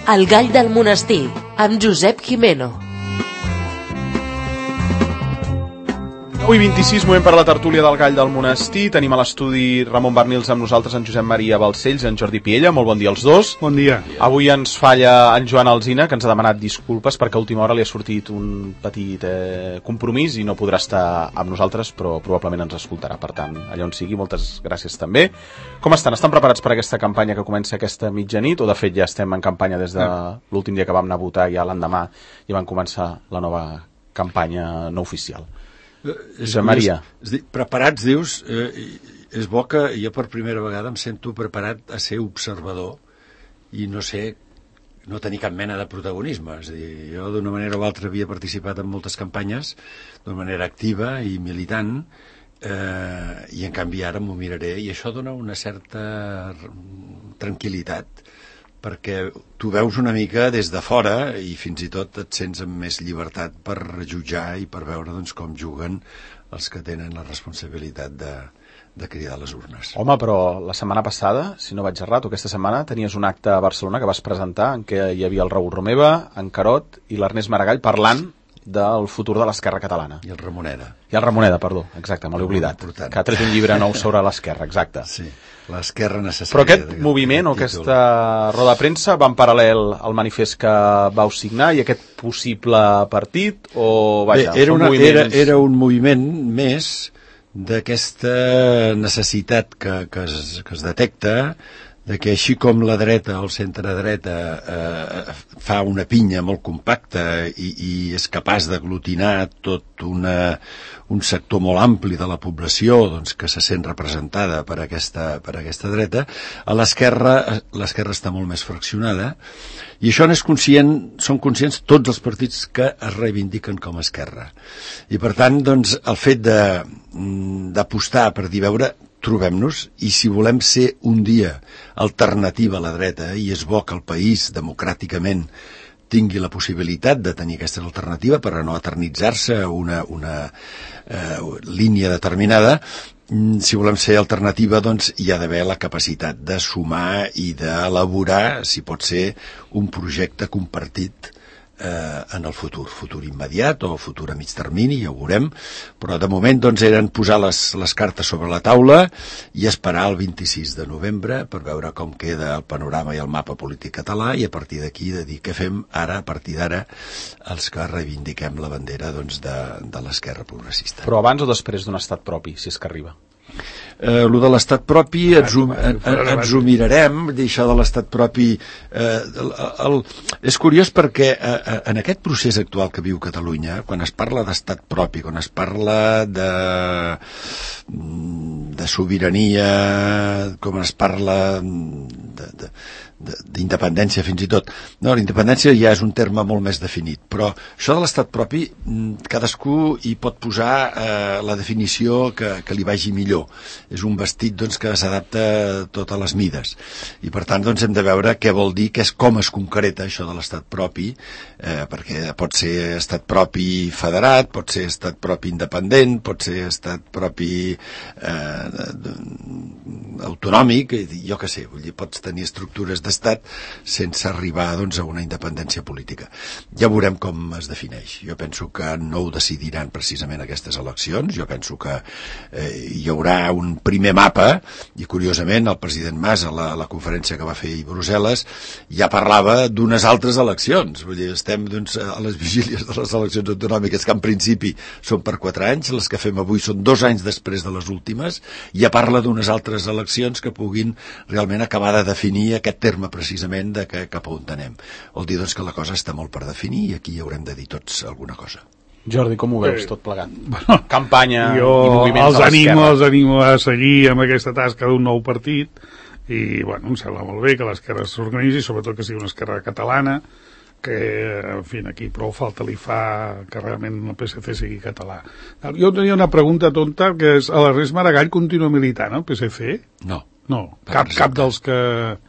El gall del monestir, amb Josep Jimeno. Avui 26, moment per la tertúlia del gall del monestir. Tenim a l'estudi Ramon Barnils amb nosaltres, en Josep Maria Balcells i en Jordi Piella. Molt bon dia als dos. Bon dia. Avui ens falla en Joan Alsina, que ens ha demanat disculpes perquè a última hora li ha sortit un petit compromís i no podrà estar amb nosaltres, però probablement ens escoltarà. Per tant, allà on sigui, moltes gràcies també. Com estan? Estan preparats per aquesta campanya que comença aquesta mitjanit? O de fet ja estem en campanya des de l'últim dia que vam anar a votar, ja l'endemà i van començar la nova campanya no oficial? Josep Maria. Preparats, dius, és bo que jo per primera vegada em sento preparat a ser observador i no tenir cap mena de protagonisme. És a dir, jo d'una manera o altra havia participat en moltes campanyes d'una manera activa i militant, i en canvi ara m'ho miraré i això dona una certa tranquil·litat, perquè tu veus una mica des de fora i fins i tot et sents amb més llibertat per jutjar i per veure doncs, com juguen els que tenen la responsabilitat de cridar les urnes. Home, però la setmana passada, si no vaig errat, o aquesta setmana, tenies un acte a Barcelona que vas presentar en què hi havia el Raül Romeva, en Carot i l'Ernest Maragall parlant del futur de l'esquerra catalana. I el Ramoneda. I el Ramoneda, perdó, exacte, me l'he oblidat. Que ha tret un llibre nou sobre l'esquerra, exacte. Sí, l'esquerra necessària. Però aquest moviment o aquesta roda de premsa va en paral·lel al manifest que vau signar i aquest possible partit? O, vaja, era un moviment més d'aquesta necessitat que es detecta de que així com la dreta o el centre-dreta fa una pinya molt compacta i és capaç d'aglutinar tot un sector molt ampli de la població doncs, que se sent representada per aquesta dreta, a l'esquerra està molt més fraccionada i això són conscients tots els partits que es reivindiquen com a esquerra. I per tant, doncs, el fet d'apostar per dir, veure, trobem-nos, i si volem ser un dia alternativa a la dreta, i és bo que el país democràticament tingui la possibilitat de tenir aquesta alternativa per a no eternitzar-se una línia determinada, si volem ser alternativa, doncs hi ha d'haver la capacitat de sumar i d'elaborar, si pot ser, un projecte compartit en el futur immediat o futur a mig termini, ja ho veurem, però de moment doncs eren posar les cartes sobre la taula i esperar el 26 de novembre per veure com queda el panorama i el mapa polític català i a partir d'aquí de dir què fem ara, a partir d'ara, els que reivindiquem la bandera doncs, de l'esquerra progressista. Però abans o després d'un estat propi, si és que arriba? Lo de l'estat propi ens ho mirarem, això de l'estat propi és curiós perquè en aquest procés actual que viu Catalunya, quan es parla d'estat propi, quan es parla de sobirania, com es parla d'independència fins i tot. No, la independència ja és un terme molt més definit, però això de l'estat propi cadascú hi pot posar la definició que li vagi millor. És un vestit doncs, que s'adapta a totes les mides i per tant doncs, hem de veure què vol dir, com es concreta això de l'estat propi, perquè pot ser estat propi federat, pot ser estat propi independent, pot ser estat propi autonòmic, jo què sé, vull dir, pots tenir estructures d'estat sense arribar doncs, a una independència política. Ja veurem com es defineix. Jo penso que no ho decidiran precisament aquestes eleccions, jo penso que hi haurà un primer mapa i curiosament el president Mas a la conferència que va fer a Brussel·les ja parlava d'unes altres eleccions. Vull dir, estem doncs, a les vigílies de les eleccions autonòmiques que en principi són per 4 anys, les que fem avui són 2 anys després de les últimes, i ja parla d'unes altres eleccions que puguin realment acabar de definir aquest terme precisament de cap a on anem. Vol dir doncs, que la cosa està molt per definir i aquí haurem de dir tots alguna cosa. Jordi, com ho veus tot plegat? Campanya i moviments a l'esquerra. Els animo a seguir amb aquesta tasca d'un nou partit i, bueno, em sembla molt bé que l'esquerra s'organitzi, sobretot que sigui una esquerra catalana, que, en fi, aquí prou falta li fa que realment el PSC sigui català. Jo tenia una pregunta tonta, que és, l'Ernest Maragall continua militant al PSC? No. No, cap dels que...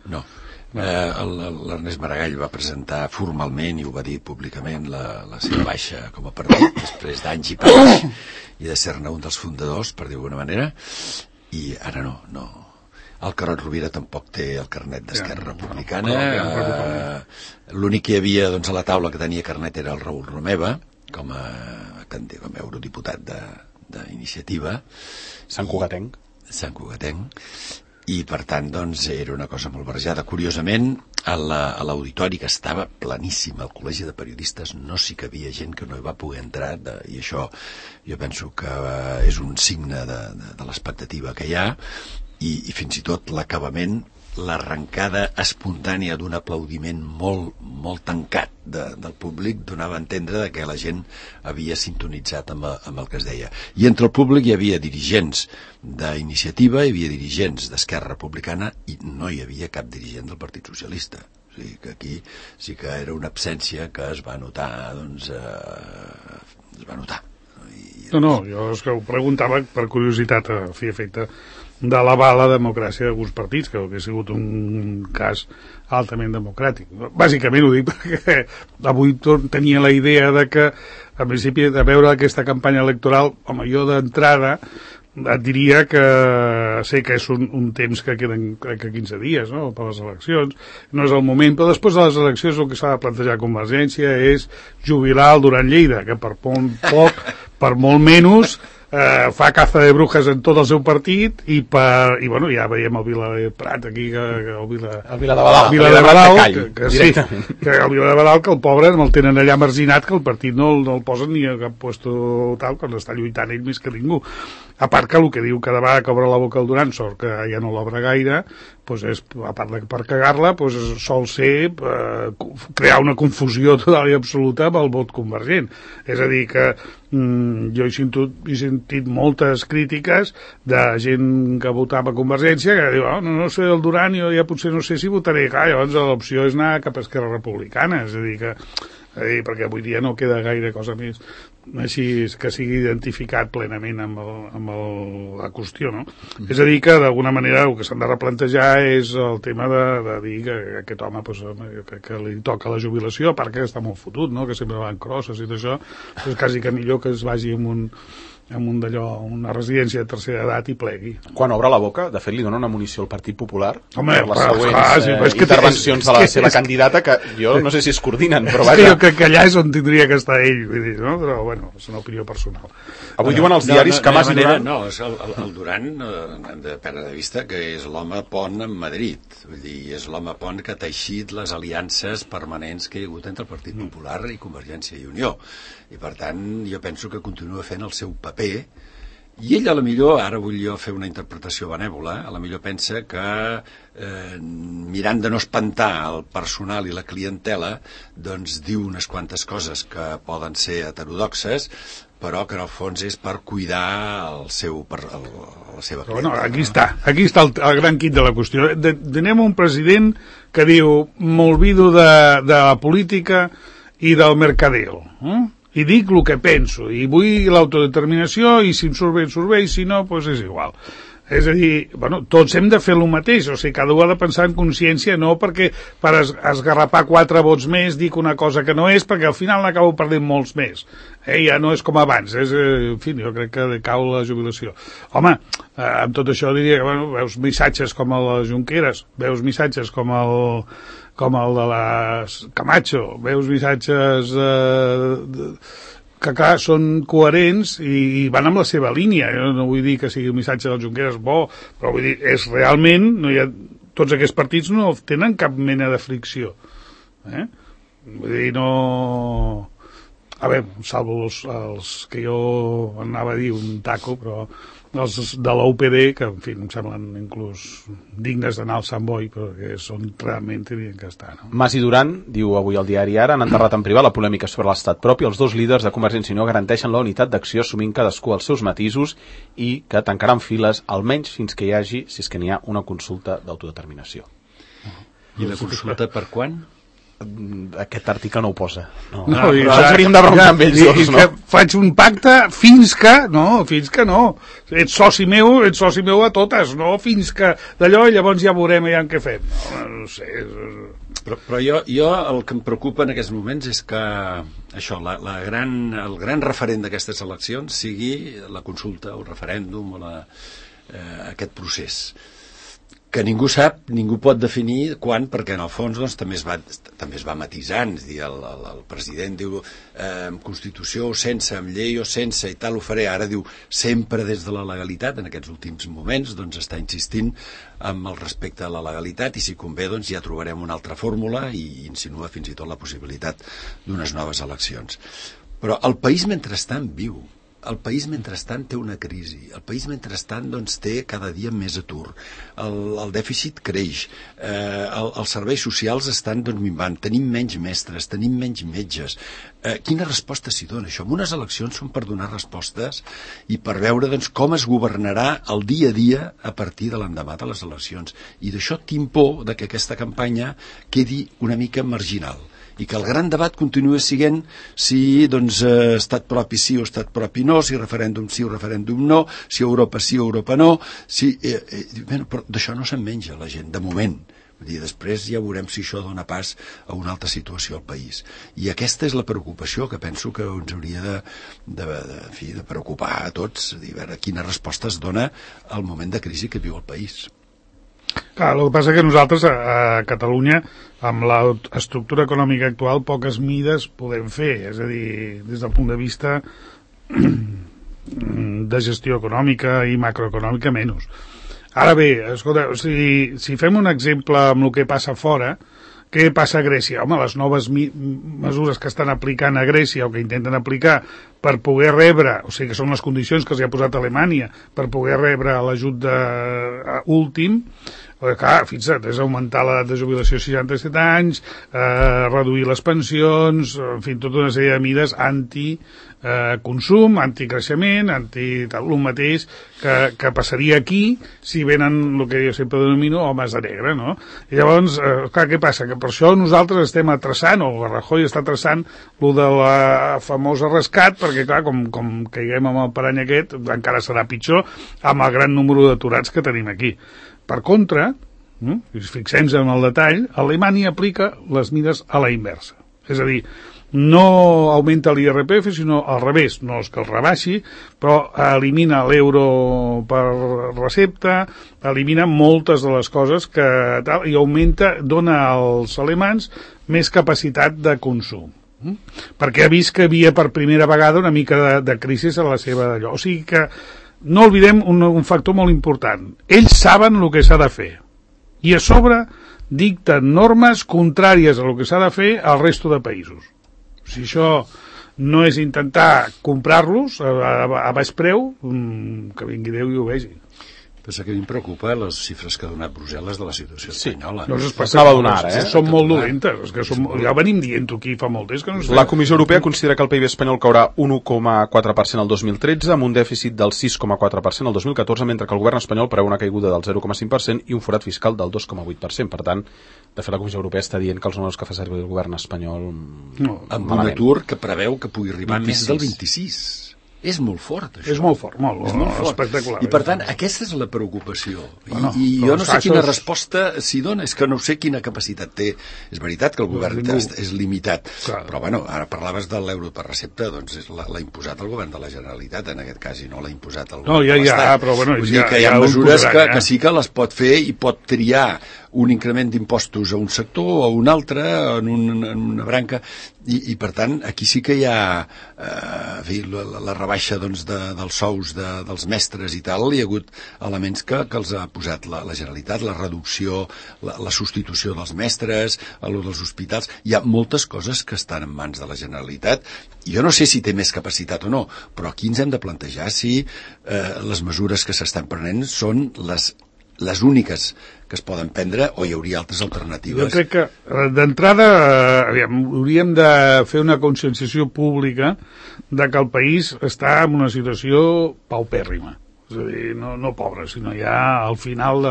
No. L'Ernest Maragall va presentar formalment i ho va dir públicament la seva baixa com a partit després d'anys i panys i de ser-ne un dels fundadors, per dir-ho d'alguna manera, i ara no. El Carod Rovira tampoc té el carnet d'Esquerra Republicana. L'únic que hi havia doncs, a la taula que tenia carnet era el Raül Romeva, com a eurodiputat d'iniciativa. Sant Cugatenc. I per tant doncs era una cosa molt barrejada. Curiosament a l'auditori, que estava planíssim, al Col·legi de Periodistes no s'hi cabia gent que no hi va poder entrar, i això jo penso que és un signe de l'expectativa que hi ha, i fins i tot l'acabament, l'arrencada espontània d'un aplaudiment molt tancat del públic donava a entendre que la gent havia sintonitzat amb el que es deia. I entre el públic hi havia dirigents d'iniciativa, hi havia dirigents d'Esquerra Republicana i no hi havia cap dirigent del Partit Socialista. O sigui que aquí sí que era una absència que es va notar, doncs es va notar. No, jo és que ho preguntava per curiositat, a fi efecte, de l'aval a la democràcia d'alguns partits, que hauria sigut un cas altament democràtic. Bàsicament ho dic perquè avui tenia la idea de que, a principi de veure aquesta campanya electoral, home, jo d'entrada et diria que sé que és un temps que queden, crec que 15 dies, no?, per les eleccions, no és el moment, però després de les eleccions el que s'ha de plantejar a Convergència és jubilar el Duran Lleida, que per poc, per molt menys, fa caza de brujas en tot el seu partit i bueno, ja veiem el Vila de Prat aquí, el Vila de Badal, que sí, que el Vila de Badal, que el pobre el tenen allà marginat, que el partit no el posen ni a cap puesto tal, quan està lluitant ell més que ningú. A part que el que diu cada vegada que obre la boca el Duran, sort que ja no l'obre gaire, doncs és, a part de per cagar-la, doncs sol ser crear una confusió total i absoluta amb el vot convergent. És a dir, que jo he sentit moltes crítiques de gent que votava a Convergència que diu, no sé el Duran, jo ja potser no sé si votaré. Clar, llavors l'opció és anar cap a Esquerra Republicana, és a dir que perquè avui dia no queda gaire cosa més així que sigui identificat plenament amb la qüestió, no? És a dir, que d'alguna manera el que s'han de replantejar és el tema de dir que aquest home que li toca la jubilació, a part que està molt fotut, no?, que sempre van crosses i d'això, és quasi que millor que es vagi amb una residència de tercera edat i plegui. Quan obre la boca, de fet li dona una munició al Partit Popular. Home, per les següents intervencions de la seva candidata, que jo no sé si es coordinen, però vaja. Jo crec que allà és on tindria que estar ell, vull dir, no? Però bueno, és una opinió personal. Avui diuen els diaris que Mas i Duran... No, el Duran hem de perdre de vista que és l'home pont en Madrid, vull dir, és l'home pont que ha teixit les aliances permanents que hi ha hagut entre el Partit Popular i Convergència i Unió, i per tant jo penso que continua fent el seu paper, i ell a la millor, ara vull jo fer una interpretació benèvola, a la millor pensa que mirant de no espantar el personal i la clientela, doncs diu unes quantes coses que poden ser heterodoxes, però que en el fons és per cuidar la seva clientela. Bueno, aquí està el gran quid de la qüestió. Tenim un president que diu m'olvido de la política i del mercadeo, i dic el que penso, i vull l'autodeterminació, i si em surt bé, i si no, doncs és igual. És a dir, bueno, tots hem de fer el mateix, o sigui, cada un ha de pensar en consciència, no perquè per esgarrapar 4 vots més dic una cosa que no és, perquè al final n'acabo perdent molts més. Ja no és com abans, en fi, jo crec que cau la jubilació. Home, amb tot això diria que, bueno, veus missatges com el de Junqueras, veus missatges com el de la Camacho, veus missatges que clar, són coherents i van amb la seva línia. Jo no vull dir que sigui un missatge del Junqueras bo, però vull dir, és realment, tots aquests partits no tenen cap mena de fricció. Vull dir, no... A veure, salvo els que jo anava a dir un taco, però els de l'UPD, que en fi, em semblen inclús dignes d'anar al Sant Boi, perquè són realment tenien que estar, no? Mas i Duran, diu avui el diari Ara, han enterrat en privat la polèmica sobre l'estat propi. Els dos líders de Convergència i Unió garanteixen la unitat d'acció assumint cadascú els seus matisos i que tancaran files almenys fins que hi hagi, si és que n'hi ha, una consulta d'autodeterminació. I la consulta per quan? Aquest article no ho posa. No, ens hauríem de preguntar amb ells dos, no? Faig un pacte fins que no. Ets soci meu a totes, no fins que d'allò i llavors ja veurem què fem. No sé. Però jo el que em preocupa en aquests moments és que això, el gran referent d'aquestes eleccions sigui la consulta, el referèndum, aquest procés. que ningú sap, ningú pot definir quan, perquè en el fons doncs, també es va matisant, és dir, el president diu amb Constitució o sense, amb llei o sense i tal ho faré, ara diu sempre des de la legalitat, en aquests últims moments doncs està insistint amb el respecte a la legalitat i si convé doncs ja trobarem una altra fórmula i insinua fins i tot la possibilitat d'unes noves eleccions. Però el país mentrestant viu. El país mentrestant té una crisi, el país mentrestant doncs, té cada dia més atur, el dèficit creix, els serveis socials estan doncs, minvant, tenim menys mestres, tenim menys metges. Quina resposta s'hi dona això? Unes eleccions són per donar respostes i per veure doncs, com es governarà el dia a dia a partir de l'endemà de les eleccions. I d'això tinc por que aquesta campanya quedi una mica marginal i que el gran debat continua sent si doncs, estat propi sí o estat propi no, si referèndum sí o referèndum no, si Europa sí o Europa no, bueno, però d'això no se'n menja la gent, de moment. Vull dir, després ja veurem si això dona pas a una altra situació al país. I aquesta és la preocupació que penso que ens hauria de preocupar a tots, dir, a veure quina resposta es dona al moment de crisi que viu el país. Clar, el que passa és que nosaltres a Catalunya, amb l'estructura econòmica actual, poques mides podem fer, és a dir, des del punt de vista de gestió econòmica i macroeconòmica menys. Ara bé, escolta, si fem un exemple amb el que passa fora, què passa a Grècia? Home, les noves mesures que estan aplicant a Grècia o que intenten aplicar per poder rebre, o sigui que són les condicions que els ha posat Alemanya per poder rebre l'ajut últim, clar, fixa't, és augmentar l'edat de jubilació a 67 anys, reduir les pensions, en fi, tota una sèrie de mides anti-consum, anticreixement, el mateix que passaria aquí si venen el que jo sempre denomino homes de negre, no? I llavors, clar, què passa? Que per això nosaltres estem traçant, o Rajoy està traçant, lo de la famosa rescat, perquè clar, com caiguem amb el parany aquest, encara serà pitjor amb el gran número d'aturats que tenim aquí. Per contra, si fixem-nos en el detall, Alemanya aplica les mides a la inversa. És a dir, no augmenta l'IRPF, sinó al revés, no és que el rebaixi, però elimina l'euro per recepta, elimina moltes de les coses que tal, i augmenta, dona als alemans més capacitat de consum. Perquè ha vist que havia per primera vegada una mica de crisi a la seva d'allò. O sigui que no oblidem un factor molt important. Ells saben el que s'ha de fer. I a sobre dicten normes contràries a el que s'ha de fer al resto de països. Si això no és intentar comprar-los a baix preu, que vingui Déu i ho vegi. Pensa que a mi em preocupa les xifres que ha donat Brussel·les de la situació espanyola. No s'anava a donar ara, Són molt dolentes. Ja venim dient-ho aquí fa molt temps que no sé. La Comissió Europea considera que el PIB espanyol caurà 1,4% el 2013 amb un dèficit del 6,4% el 2014, mentre que el govern espanyol preveu una caiguda del 0,5% i un forat fiscal del 2,8%. Per tant, de fet, la Comissió Europea està dient que els números que fa servir el govern espanyol amb un atur que preveu que pugui arribar més del 26%. És molt fort, això. És molt fort, molt espectacular. I, per tant, aquesta és la preocupació. I jo no sé quina resposta s'hi dona, és que no sé quina capacitat té. És veritat que el govern és limitat, però, bueno, ara parlaves de l'euro per recepta, doncs l'ha imposat el govern de la Generalitat, en aquest cas, i no l'ha imposat el govern de l'Estat. Vull dir que hi ha mesures que sí que les pot fer i pot triar un increment d'impostos a un sector o a un altre, en una branca, i per tant, aquí sí que hi ha la rebaixa doncs, dels sous dels mestres i tal, hi ha hagut elements que els ha posat la Generalitat, la reducció, la substitució dels mestres, dels hospitals. Hi ha moltes coses que estan en mans de la Generalitat. Jo no sé si té més capacitat o no, però aquí ens hem de plantejar si les mesures que s'estan prenent són les úniques que es poden prendre o hi hauria altres alternatives. Jo crec que d'entrada hauríem de fer una conscienciació pública de que el país està en una situació paupèrrima. És a dir, no pobra, sinó ja al final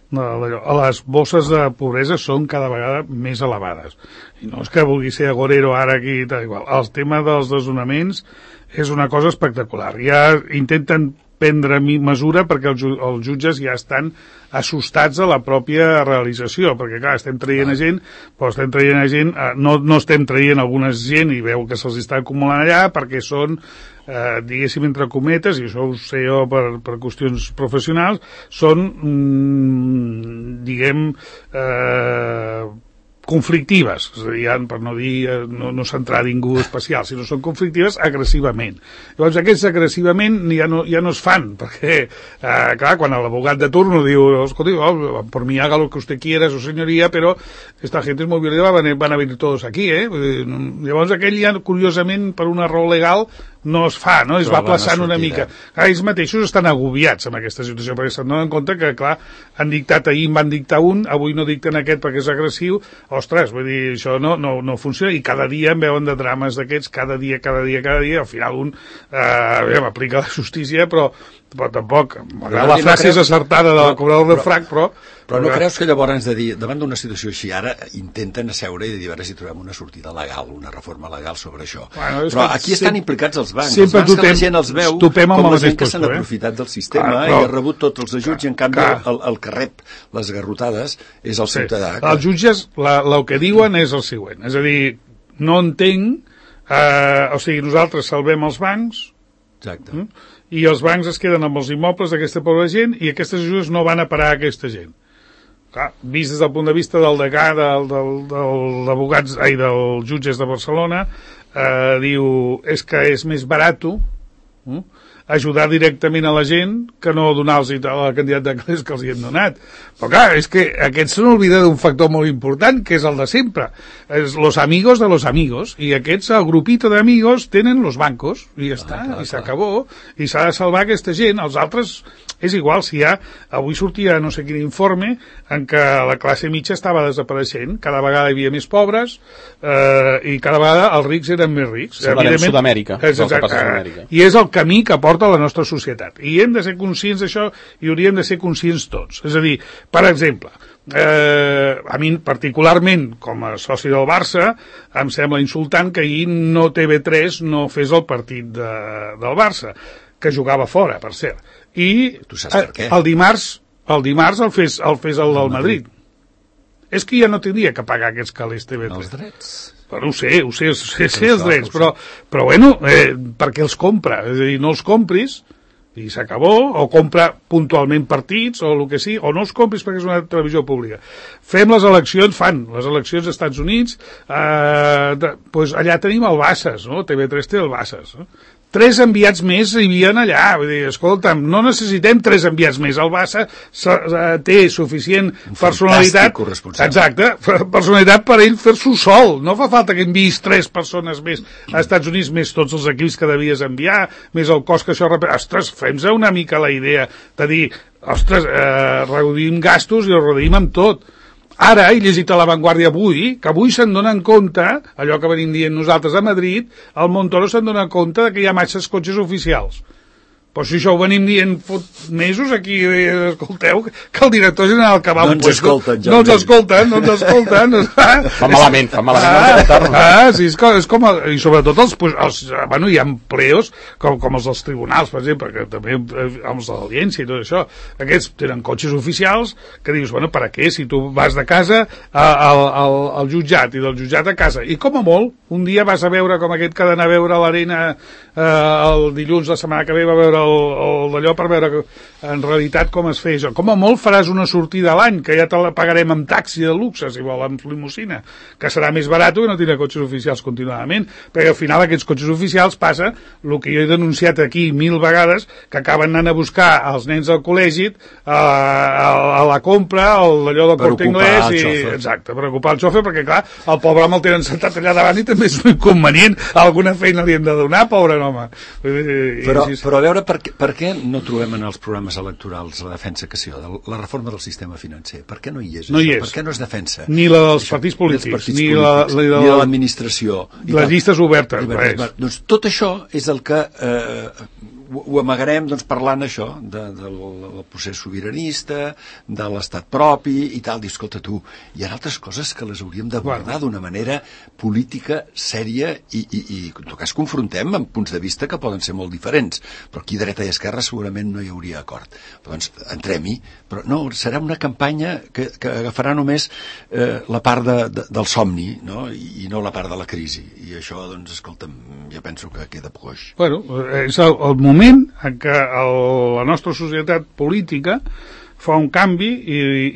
les bosses de pobresa són cada vegada més elevades. I no és que vulgui ser agorero ara aquí i tal igual. El tema dels desnonaments és una cosa espectacular. Ja intenten prendre mesura perquè els jutges ja estan assustats a la pròpia realització, perquè clar, estem traient a gent, però estem traient a gent, no estem traient alguna gent i veu que se'ls està acumulant allà perquè són diguéssim entre cometes, i això ho sé jo per qüestions professionals, són diguem conflictives, és a dir, per no dir no centrar ningú especial, sinó són conflictives agressivament. Llavors aquests agressivament ja no es fan, perquè clar, quan l'abogat de turno diu, escolti, por mí haga lo que usted quiera, su señoría, pero esta gente es muy violenta, van a venir todos aquí, llavors aquell ja, curiosament, per una raó legal, no es fa, no? Es va aplaçant una mica. Ells mateixos estan agobiats amb aquesta situació, perquè se'n donen compte que, clar, han dictat ahir, en van dictar un, avui no dicten aquest perquè és agressiu, ostres, vull dir, això no funciona, i cada dia en veuen de drames d'aquests, cada dia, al final un aplica la justícia, però tampoc, la frase és acertada del cobrador del frac, però no creus que llavors de dir, davant d'una situació així, ara intenten asseure i dir, a veure si trobem una sortida legal, una reforma legal sobre això. Bueno, però aquí estan implicats els bancs. Els bancs que la gent els veu com la gent que s'han aprofitat del sistema i ha rebut tots els ajuts i en canvi el que rep les garrotades és el ciutadà. Els jutges el que diuen és el següent, és a dir, no entenc, o sigui, nosaltres salvem els bancs, exacte, i els bancs es queden amb els immobles d'aquesta pobra gent i aquestes ajudes no van a parar a aquesta gent. Clar, vist des del punt de vista del degà dels jutges de Barcelona, diu, és que és més barat ajudar directament a la gent que no donar-los la quantitat de calés que els hi hem donat. Però clar, és que aquests s'han oblidat d'un factor molt important, que és el de sempre. És los amigos de los amigos, i aquests, el grupito de amigos, tenen los bancos, i ja està, i s'acabó, i s'ha de salvar aquesta gent. Els altres, és igual, si avui sortia no sé quin informe en què la classe mitja estava desapareixent, cada vegada hi havia més pobres, i cada vegada els rics eren més rics. Segurament Sud-amèrica, i és el camí que porta a la nostra societat. I hem de ser conscients d'això i hauríem de ser conscients tots. És a dir, per exemple, a mi particularment, com a soci del Barça, em sembla insultant que ahir no TV3 no fes el partit del Barça, que jugava fora, per cert. I tu saps per què? El dimarts el fes el del Madrid. És que ja no tindria que pagar aquests calés TV3. Els drets. Però ho sé els drets, però bueno, per què els compra? És a dir, no els compris i s'acabó, o compra puntualment partits, o el que sigui, o no els compris perquè és una televisió pública. Fem les eleccions als Estats Units, doncs allà tenim el Bassas, no? TV3 té el Bassas, no? 3 enviats més hi havia allà, vull dir, escolta'm, no necessitem 3 enviats més, el Barça té suficient personalitat, exacte, personalitat per ell fer-s'ho sol, no fa falta que enviïs 3 persones més als Estats Units, més tots els equips que devies enviar, més el cost que això ostres, fem-se una mica la idea de dir, ostres, reduïm gastos i ho reduïm amb tot. Ara, he llegit a La Vanguardia avui, que avui se'n donen compte, allò que venim dient nosaltres a Madrid, al Montoro se'n dona compte que hi ha masses cotxes oficials. Però si això ho venim dient mesos aquí, escolteu, que el director general que va... No ens escolten, ja. No ens escolten. Fa malament. Sí, és com... I sobretot bueno, hi ha empleos com els dels tribunals, per exemple, que també els de l'audiència i tot això. Aquests tenen cotxes oficials que dius, bueno, per a què? Si tu vas de casa al jutjat i del jutjat a casa. I com a molt, un dia vas a veure com aquest que ha d'anar a veure l'Arena el dilluns la setmana que ve va veure d'allò per veure en realitat com es feia això. Com a molt faràs una sortida a l'any, que ja te la pagarem amb taxi de luxe, si vol, amb limusina, que serà més barat que no tindre cotxes oficials continuadament, perquè al final aquests cotxes oficials passa el que jo he denunciat aquí 1000 vegades, que acaben anant a buscar els nens al col·legi, a la compra, d'allò del Corte Inglés, exacte, per ocupar el xofer, perquè clar, el pobre home el tenen sentat allà davant i també és un inconvenient, alguna feina li hem de donar, pobre home. Però a veure, per què no trobem en els programes electorals la defensa la reforma del sistema financer? Per què no hi és això? Per què no es defensa? Ni la dels partits polítics, ni de l'administració. Les llistes obertes. Doncs tot això és el que ho amagarem doncs, parlant això del procés sobiranista, de l'estat propi i tal. Dius, escolta tu, hi ha altres coses que les hauríem d'abordar d'una manera política sèria i en tot cas confrontem amb punts de vista que poden ser molt diferents, però aquí dreta i esquerra segurament no hi hauria acord. Doncs entrem-hi, però no, serà una campanya que agafarà només la part del somni, no? I no la part de la crisi, i això, doncs, escolta'm, ja penso que queda coix. Bueno, és el moment en què la nostra societat política fa un canvi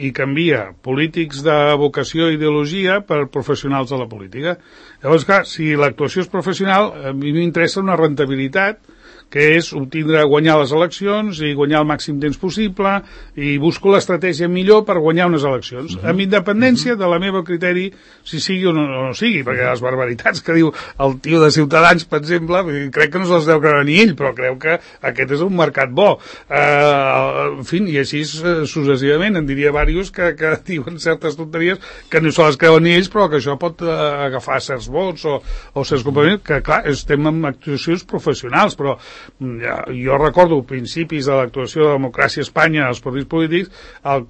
i canvia polítics de vocació i ideologia per professionals de la política. Llavors, clar, si l'actuació és professional, a mi m'interessa una rentabilitat, que és guanyar les eleccions i guanyar el màxim temps possible, i busco l'estratègia millor per guanyar unes eleccions, amb independència de la meva criteri, si sigui o no sigui, perquè les barbaritats que diu el tio de Ciutadans, per exemple, crec que no se les deu creure ni ell, però creu que aquest és un mercat bo. En fi, i així successivament, en diria diversos que diuen certes tonteries que no se les creuen ni ells, però que això pot agafar certs vots o certs compromisos, que clar, estem en actuacions professionals, però jo recordo principis de l'actuació de Democràcia a Espanya als partits polítics, el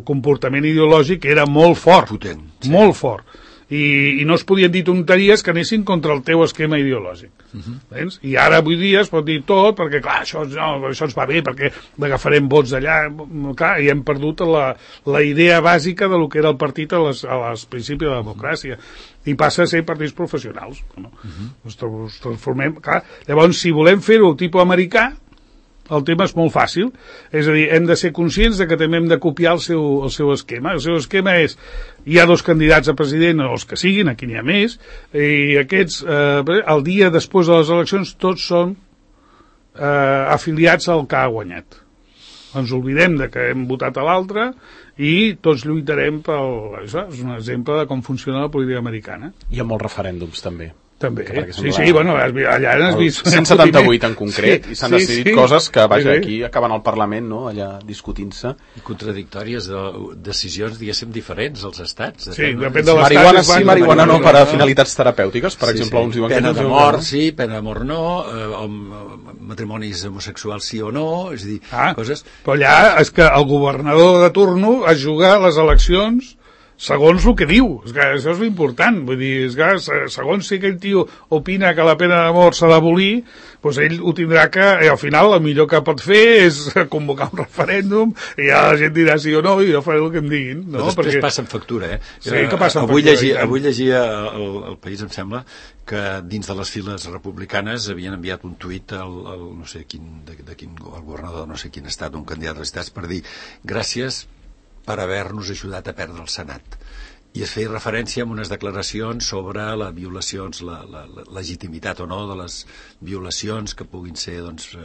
comportament ideològic era molt fort, potent, molt fort, i no es podien dir tonteries que anessin contra el teu esquema ideològic. I ara avui dia es pot dir tot perquè clar, això ens va bé perquè agafarem vots d'allà, clar, i hem perdut la idea bàsica de lo que era el partit als principis de la democràcia, i passa a ser partits professionals, no? Ens transformem, clar. Llavors, si volem fer-ho tipus americà, el tema és molt fàcil, és a dir, hem de ser conscients de que també hem de copiar el seu esquema. El seu esquema és, hi ha 2 candidats a president, o els que siguin, aquí n'hi ha més, i aquests, el dia després de les eleccions, tots són afiliats al que ha guanyat. Ens oblidem de que hem votat a l'altre i tots lluitarem això és un exemple de com funciona la política americana. Hi ha molts referèndums, també. També, sí, bueno, allà has vist... 178 en concret, i s'han decidit coses que, vaja, aquí acaben al Parlament, no?, allà discutint-se. I contradictòries de decisions, diguéssim, diferents als estats. Sí, depèn de l'estat. Marihuana sí, marihuana no, per a finalitats terapèutiques, per exemple, uns diuen que pena de mort sí, pena de mort no, matrimonis homosexuals sí o no, és a dir, coses... Però allà és que el governador de turno es juga a les eleccions segons el que diu, és que això és important, vull dir, és que segons si aquell tio opina que la pena de mort s'ha d'abolir, doncs ell ho tindrà que, al final el millor que pot fer és convocar un referèndum i ja la gent dirà sí o no i jo faré el que em diguin, no? Però després passa en factura, Sí, que passa en factura. Avui llegia el País, em sembla, que dins de les files republicanes havien enviat un tuit al no sé quin, al governador de no sé quin estat, un candidat a estats, per dir gràcies per haver-nos ajudat a perdre el Senat. I es feia referència a unes declaracions sobre les violacions, la legitimitat o no de les violacions que puguin ser, doncs,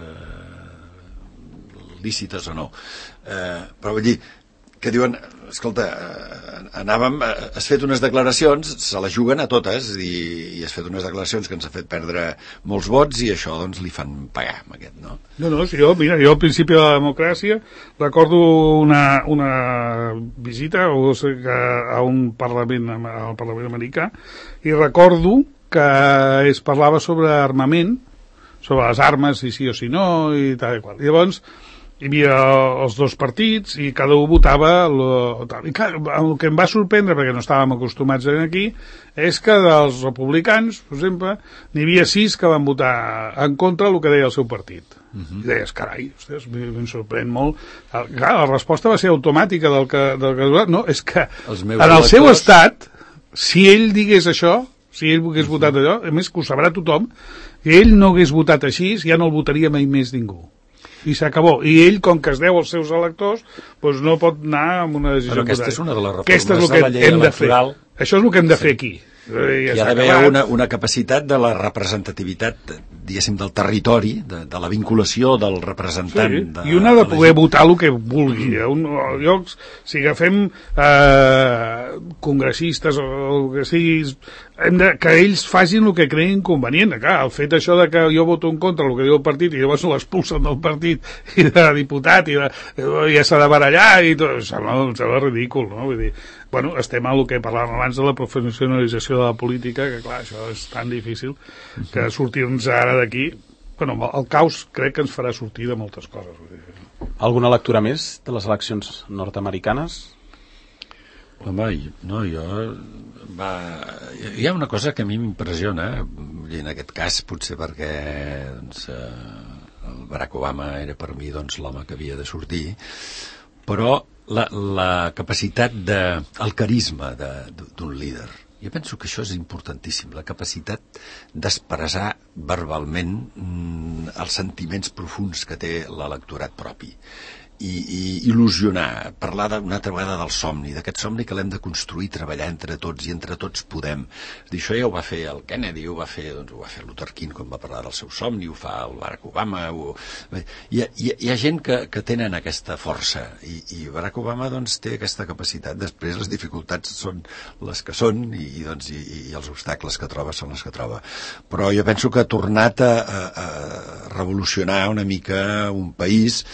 lícites o no. Però vull dir, que diuen, escolta, has fet unes declaracions, se la juguen a totes, i has fet unes declaracions que ens ha fet perdre molts vots i això doncs li fan pagar amb aquest, no? No, si jo al principi de la democràcia recordo una visita a un parlament, al Parlament americà, i recordo que es parlava sobre armament, sobre les armes, si sí o si no, i tal i qual. I llavors hi havia els 2 partits i cada un votava i clar, el que em va sorprendre, perquè no estàvem acostumats aquí, és que dels republicans, per exemple, n'hi havia 6 que van votar en contra del que deia el seu partit. I deies, carai, ostres, em sorprèn molt. Clar, la resposta va ser automàtica del que no, és que en el seu estat, si ell digués això, si ell hagués votat allò, a més que ho sabrà tothom, que ell no hagués votat així, ja no el votaria mai més ningú. I s'acabó. I ell, com que es deu als seus electors, doncs no pot anar amb una decisió. Però aquesta és una de les reformes de la llei electoral. Això és el que hem de fer aquí. Hi ha d'haver una capacitat de la representativitat, diguéssim, del territori, de la vinculació del representant. I un ha de poder votar el que vulgui. Si agafem congressistes o el que sigui, que ells facin el que creguin convenient. Clar, el fet això de que jo voto en contra el que diu el partit i llavors l'expulsen del partit i de diputat i ja s'ha de barallar i tot, sembla ridícul, no? Vull dir, bueno, estem a el que parlàvem abans de la professionalització de la política, que clar, això és tan difícil que sortir-nos ara d'aquí Bueno, el caos crec que ens farà sortir de moltes coses. Alguna lectura més de les eleccions nord-americanes? Home, no, hi ha una cosa que a mi m'impressiona, i en aquest cas potser perquè doncs, el Barack Obama era per mi doncs, l'home que havia de sortir, però la capacitat el carisma d'un líder. Jo penso que això és importantíssim, la capacitat d'expressar verbalment els sentiments profuns que té l'electorat propi. I il·lusionar, parlar una altra vegada del somni, d'aquest somni que l'hem de construir, treballar entre tots, i entre tots podem. Això ja ho va fer el Kennedy, ho va fer Luther King quan va parlar del seu somni, ho fa el Barack Obama. Hi ha gent que tenen aquesta força, i Barack Obama doncs, té aquesta capacitat. Després les dificultats són les que són, i els obstacles que troba són els que troba. Però jo penso que ha tornat a revolucionar una mica un país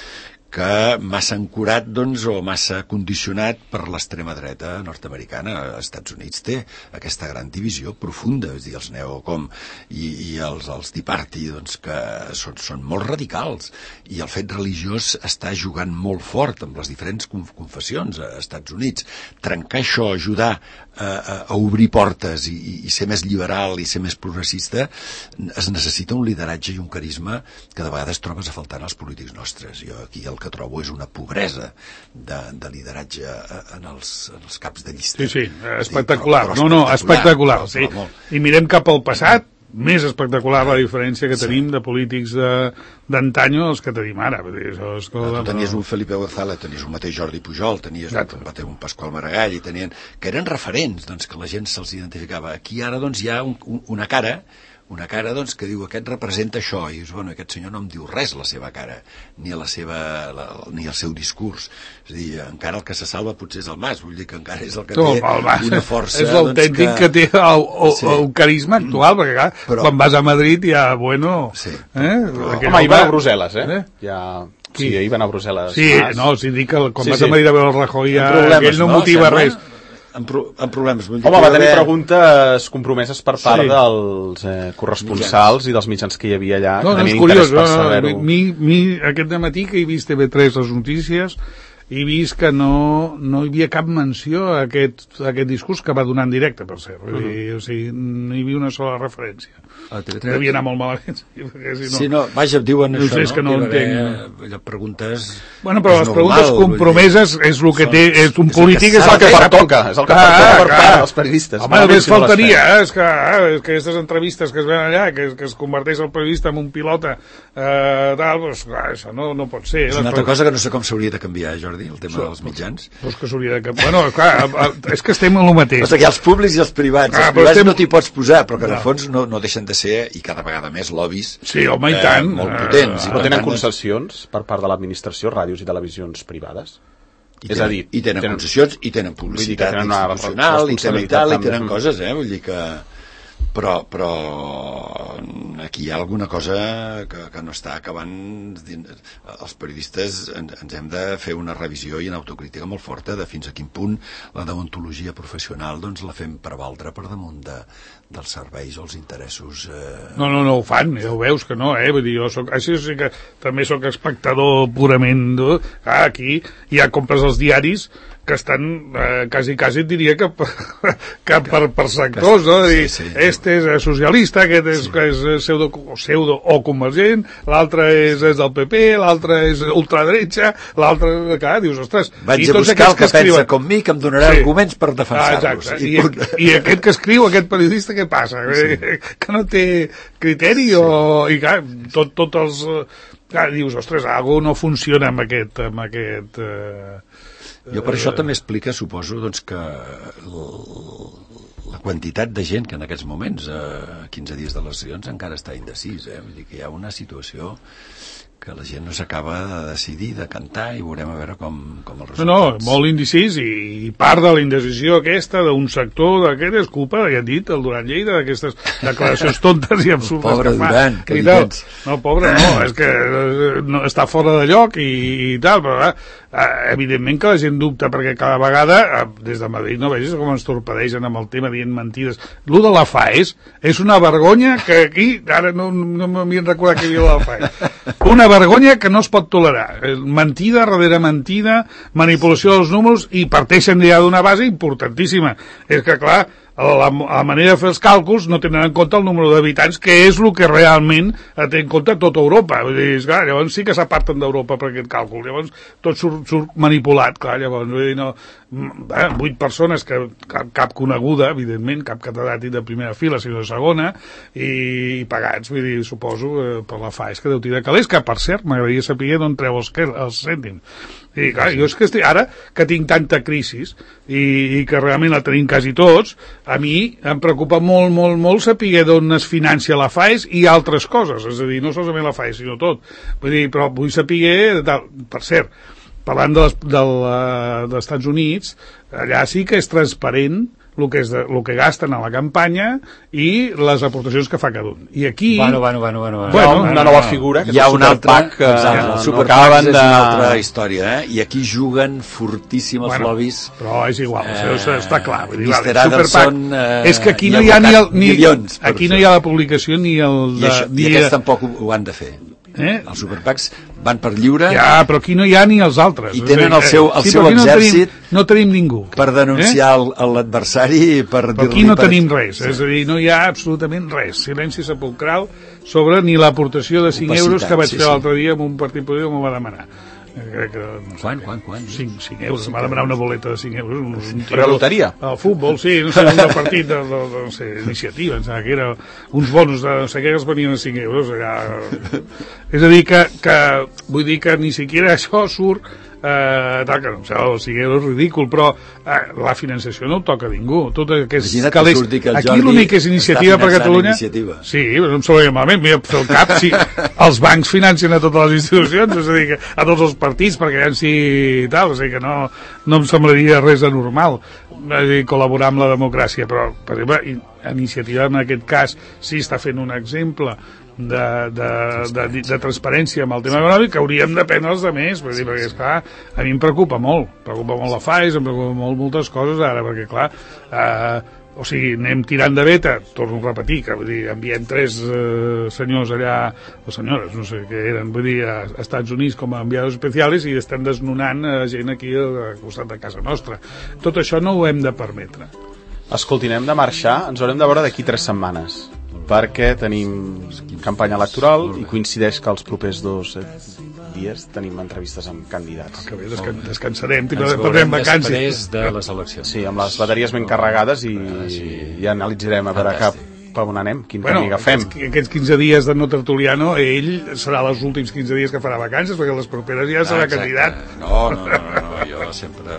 que massa ancorat doncs, o massa condicionat per l'extrema dreta nord-americana. Als Estats Units té aquesta gran divisió profunda, és a dir, els neocom i els Tea Party doncs, que són molt radicals, i el fet religiós està jugant molt fort amb les diferents confessions als Estats Units. Trencar això, ajudar a obrir portes i ser més liberal i ser més progressista, es necessita un lideratge i un carisma que de vegades trobes a faltar en els polítics nostres. Jo aquí el que trobo és una pobresa de lideratge en els caps de llista. Sí, espectacular. Espectacular. Sí. I mirem cap al passat, més espectacular la diferència que tenim de polítics d'antanyo als que tenim ara. Tu tenies un Felipe González, tenies un mateix Jordi Pujol, tenies un Pasqual Maragall, que eren referents, doncs, que la gent se'ls identificava. Aquí ara doncs, hi ha una cara doncs, que diu, aquest representa això, i dius, bueno, aquest senyor no em diu res la seva cara, ni el seu discurs. És a dir, encara el que se salva potser és el Mas, vull dir que encara és el que té una força. És l'autèntic que té el carisma actual, perquè clar, quan vas a Madrid ja, bueno... Home, hi va a Brussel·les, Sí, ahir van a Brussel·les. Sí, no, si dic que quan vas a Madrid a veure el Rajoy aquell no motiva res. Amb problemes. Home, va tenir preguntes compromeses per part dels corresponsals i dels mitjans que hi havia allà. No, és curiós. Aquest dematí que he vist TV3 les notícies, he vist que no hi havia cap menció a aquest discurs que va donar en directe, per cert. O sigui, no hi havia una sola referència. Devia anar molt malament. Sí, no, vaja, diuen això, no? És que no entenc. Preguntes... Bueno, però les preguntes compromeses és el que té... És un polític, és el que pertoca. És el que pertoca per part dels periodistes. Home, només faltaria, és que aquestes entrevistes que es ven allà, que es converteix el periodista en un pilota, això no pot ser. És una altra cosa que no sé com s'hauria de canviar, Jordi, el tema dels mitjans. Doncs que s'hauria de canviar. Bueno, clar, és que estem en el mateix. O sigui, els públics i els privats. Els privats no t'hi pots posar, però que en el fons no deixen de ser, i cada vegada més, lobbies molt potents. Però tenen concessions per part de l'administració, ràdios i televisions privades? I tenen concessions, i tenen publicitat institucional, i tenen coses, vull dir que... Però aquí hi ha alguna cosa que no està acabant. Els periodistes ens hem de fer una revisió i una autocrítica molt forta de fins a quin punt la deontologia professional doncs la fem prevaldre per damunt dels serveis o els interessos. No ho fan, ja ho veus que no, vull dir, així sí que també sóc espectador purament. Aquí hi ha compres als diaris que estan quasi et diria que per sectors, no? Este és socialista, aquest és pseudo o convergent, l'altre és del PP, l'altre és ultradretxa, l'altre, clar, dius, ostres... Vaig a buscar el que pensa com mi, que em donarà arguments per defensar-los. I aquest que escriu, aquest periodista, què passa? Que no té criteri i clar, tots els... Clar, dius, ostres, alguna no funciona amb aquest jo per això també explica, suposo, doncs, que la quantitat de gent que en aquests moments, 15 dies de les eleccions, encara està indecís. Vull dir que hi ha una situació la gent no s'acaba de decidir, de cantar, i veurem a veure com els resultats. No, molt indecís, i part de la indecisió aquesta d'un sector d'aquest és culpa, ja hem dit, el Duran Lleida, d'aquestes declaracions tontes i absurdes pobre que fa. Duran, que li tens. No, pobre no, és que no, està fora de lloc i tal, però evidentment que la gent dubta, perquè cada vegada, des de Madrid, no vegis com ens torpedegen amb el tema dient mentides. Lo de la FAES és una vergonya que aquí, ara no m'havien recordat que hi havia la FAES. Una vergonya que no es pot tolerar. Mentida darrere mentida, manipulació dels números, i parteixen ja d'una base importantíssima. És que, clar, la manera de fer els càlculs no tenen en compte el número d'habitants, que és el que realment té en compte tota Europa. Vull dir, clar, llavors sí que s'aparten d'Europa per aquest càlcul. Llavors tot surt manipulat, clar, llavors vull dir, no, 8 persones, que cap coneguda, evidentment, cap catedràtic de primera fila, sinó de segona, i pagats, vull dir, suposo, per la FAES, que deu tirar calés, que per cert m'agradaria saber d'on treu els cèntims. I clar, jo és que ara que tinc tanta crisi i que realment la tenim quasi tots, a mi em preocupa molt saber d'on es financia la FAES i altres coses, és a dir, no solament la FAES sinó tot, vull dir, però vull saber, per cert, parlant dels Estats Units, allà sí que és transparent el que gasten a la campanya i les aportacions que fa cada un. I aquí... Bueno, una nova figura, que hi ha un altre Superpac, el Superpac és una altra història, i aquí juguen fortíssim els lobbies. Però és igual, això està clar. Mr. Adelson, és que aquí no hi ha aquí no hi ha la publicació ni el... I aquests tampoc ho han de fer. Els Superpacs van per lliure. Ja, però aquí no hi ha ni els altres. I tenen el seu exèrcit. No tenim ningú. Per denunciar l'adversari, per dir-li... Aquí no tenim res, és a dir, no hi ha absolutament res. Silenci sepulcral sobre ni l'aportació de 5 euros que vaig fer l'altre dia amb un partit polític que m'ho va demanar. Quan? 5 euros, m'ha demanat una boleta de 5 euros. Per a loteria? Al futbol, sí, no sé, un partit de no sé, iniciativa, em sembla que era uns bonus de no sé què que els venien a 5 euros allà. És a dir, que vull dir que ni siquiera això surt tal, que no sé, o sigui, és ridícul, però la financiació no ho toca ningú. Tot imagina't que surti que el Jordi aquí l'únic que és iniciativa per Catalunya. Sí, no em sembla malament, m'hi fer el cap, sí, els bancs financien a totes les institucions, és a dir, a tots els partits, perquè ja en si tal, o sigui que no em semblaria res anormal, és a dir, col·laborar amb la democràcia, però, per exemple, iniciativa en aquest cas sí està fent un exemple de transparència amb el tema econòmic, que hauríem de prendre els altres, perquè esclar, a mi em preocupa molt la FAES, em preocupa moltes coses ara, perquè clar, o sigui, anem tirant de veta, torno a repetir, que vull dir, enviem 3 senyors allà, o senyores, no sé què eren, vull dir, a Estats Units com a enviados especials, i estem desnonant gent aquí al costat de casa nostra. Tot això no ho hem de permetre. Escolti, anem de marxar, ens haurem de veure d'aquí 3 setmanes, perquè tenim campanya electoral i coincideix que els propers 2 dies tenim entrevistes amb candidats. Que bé, descansarem, ens veurem després de les eleccions. Sí, amb les bateries ben carregades i analitzarem a veure cap on anem, quin camí agafem. Aquests 15 dies de no tertuliano, ell serà els últims 15 dies que farà vacances, perquè les properes ja serà candidat. No, jo sempre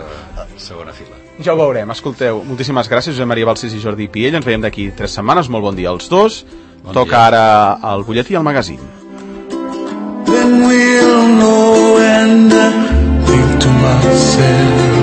segona fila. Ja ho veurem, escolteu, moltíssimes gràcies Josep Maria Balcells i Jordi Piell, ens veiem d'aquí 3 setmanes, molt bon dia als dos. Toca ara el butlletí al magazín. Then we'll know and think to myself